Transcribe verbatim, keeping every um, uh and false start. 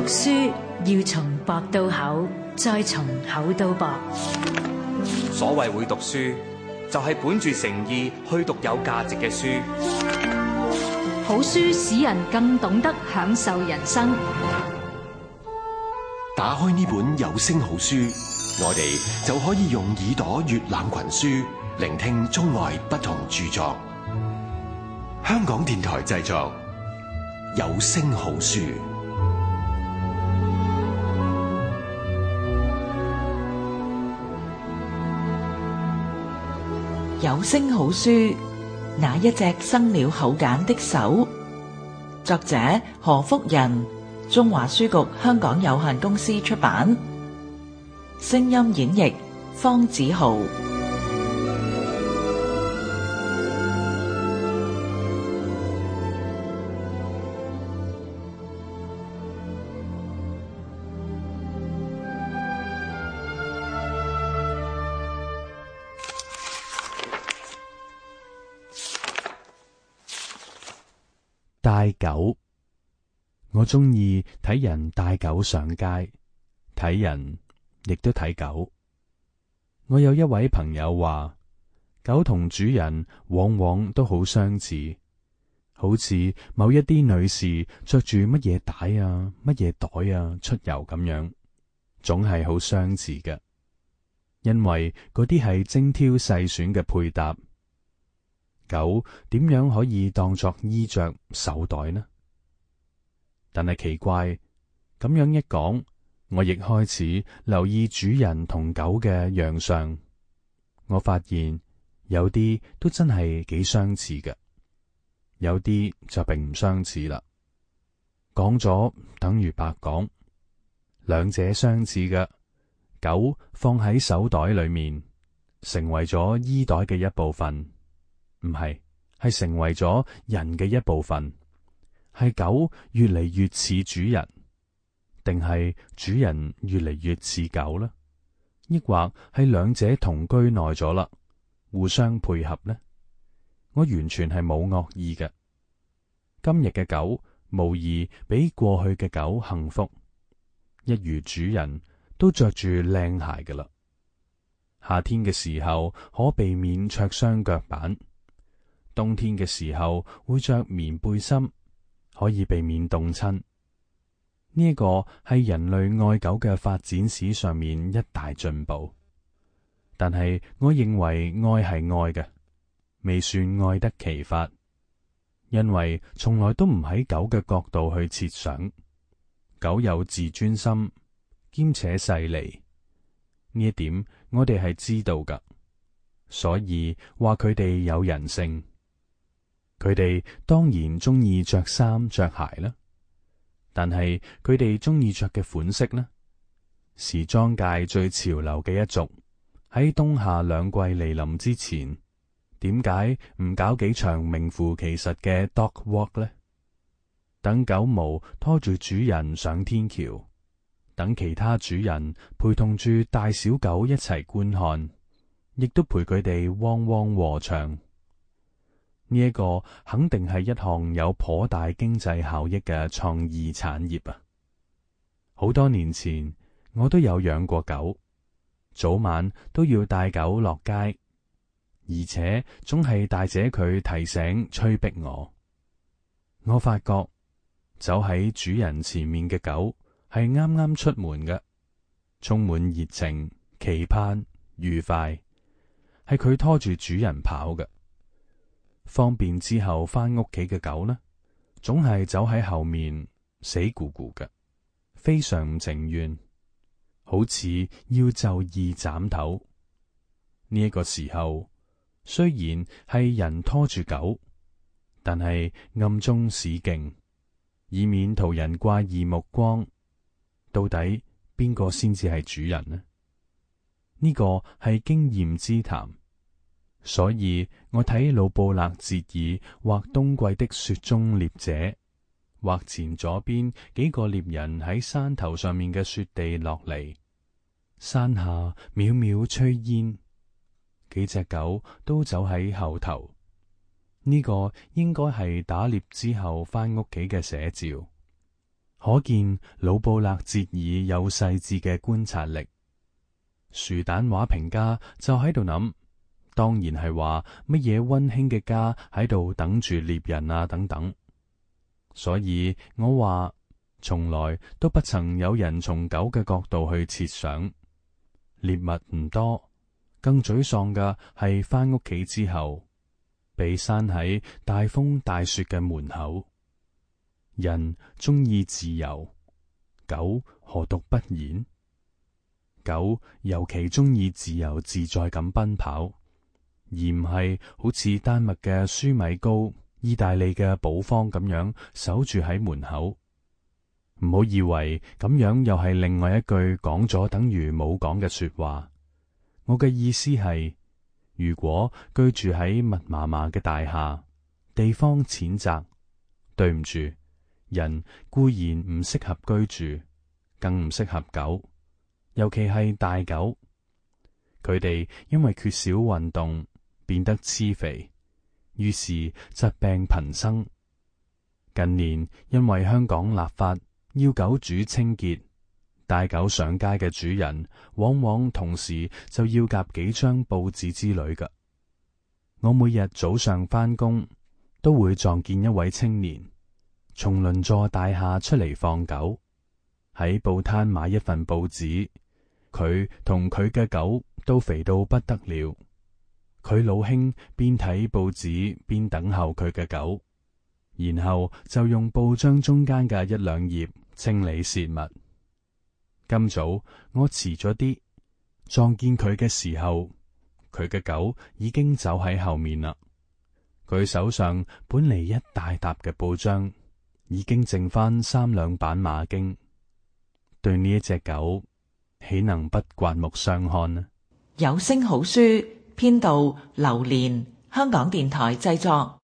書要從薄到厚，再從厚到薄。所謂會讀書，就係本住誠意去讀有價值嘅書。好書使人更懂得享受人生。打開呢本有聲好書，我哋就可以用耳朵閱覽群書，聆聽中外不同著作。香港電台製作，有聲好書。有聲好書，那一隻生了口繭的手。作者何福仁，中華書局香港有限公司出版。聲音演繹方子豪。帶狗，我鍾意睇人帶狗上街，睇人亦都睇狗。我有一位朋友話，狗同主人往往都好相似，好似某一啲女士着住乜嘢帶啊、乜嘢袋啊出遊咁樣，總係好相似嘅，因為嗰啲係精挑細選嘅配搭。狗點樣可以當作衣着手袋呢？但係奇怪，咁樣一講，我亦開始留意主人同狗嘅樣相。我發現有啲都真係幾相似嘅，有啲就並唔相似啦。講咗等於白講，兩者相似嘅，狗放喺手袋裏面，成為咗衣袋嘅一部分。唔係，係成為咗人嘅一部分。係狗越嚟越似主人，定係主人越嚟越似狗呢？抑或係兩者同居耐咗啦，互相配合呢？我完全係冇惡意嘅。今日嘅狗無疑比過去嘅狗幸福，一如主人都着住靚鞋㗎啦。夏天嘅時候可避免灼傷腳板，冬天嘅時候會着棉背心，可以避免凍親。呢一個係人類愛狗嘅發展史上面一大進步。但係我認為愛係愛嘅，未算愛得其法，因為從來都唔喺狗嘅角度去設想。狗有自尊心，兼且細膩，呢一點我哋係知道噶，所以話佢哋有人性。佢哋當然中意着衫着鞋啦，但係佢哋中意着嘅款式呢？時裝界最潮流嘅一族，喺冬夏兩季嚟臨之前，點解唔搞幾場名副其實嘅 dog walk 呢？等狗毛拖住主人上天橋，等其他主人陪同住大小狗一齊觀看，亦都陪佢哋汪汪和唱。呢一個肯定係一項有頗大經濟效益嘅創意產業啊！好多年前我都有養過狗，早晚都要帶狗落街，而且總係大姐佢提醒催逼我。我發覺走喺主人前面嘅狗係啱啱出門嘅，充滿熱情、期盼、愉快，係佢拖住主人跑嘅。方便之後返屋企嘅狗呢，總係走喺後面死咕咕嘅，非常唔情願，好似要就義斬頭。呢一個時候，雖然係人拖住狗，但係暗中使勁，以免途人怪異目光。到底邊個先至係主人呢？呢個係經驗之談。所以我睇魯布勒哲爾畫冬季的雪中獵者，畫前左邊幾個獵人喺山頭上面嘅雪地落嚟，山下渺渺炊煙，幾隻狗都走喺後頭。呢個應該係打獵之後返屋企嘅寫照。可見魯布勒哲爾有細緻嘅觀察力。樹蛋話評家就喺度諗，當然係話乜嘢溫馨嘅家喺度等住獵人啊等等。所以我話從來都不曾有人從狗嘅角度去設想。獵物唔多，更沮喪嘅係返屋企之後被閂喺大風大雪嘅門口。人鍾意自由，狗何獨不然？狗尤其鍾意自由自在咁奔跑，而唔係好似丹麥嘅舒米高、意大利嘅保方咁樣守住喺門口。唔好以為咁樣又係另外一句講咗等於冇講嘅說話。我嘅意思係，如果居住喺密麻麻嘅大廈，地方淺窄，對唔住，人固然唔適合居住，更唔適合狗，尤其係大狗。佢哋因為缺少運動，變得癡肥，於是疾病頻生。近年因為香港立法要狗主清潔，帶狗上街嘅主人往往同時就要夾幾張報紙之類㗎。我每日早上返工都會撞見一位青年從鄰座大廈出嚟放狗，喺報攤買一份報紙。佢同佢嘅狗都肥到不得了。佢老兄邊睇報紙邊等候佢嘅狗，然後就用報章中間嘅一兩頁清理泄物。今早我遲咗啲，撞見佢嘅時候，佢嘅狗已經走喺後面啦。佢手上本嚟一大沓嘅報章，已經剩翻三兩版馬經。對呢一隻狗，豈能不刮目相看呢？有聲好書編導劉蓮，香港電台製作。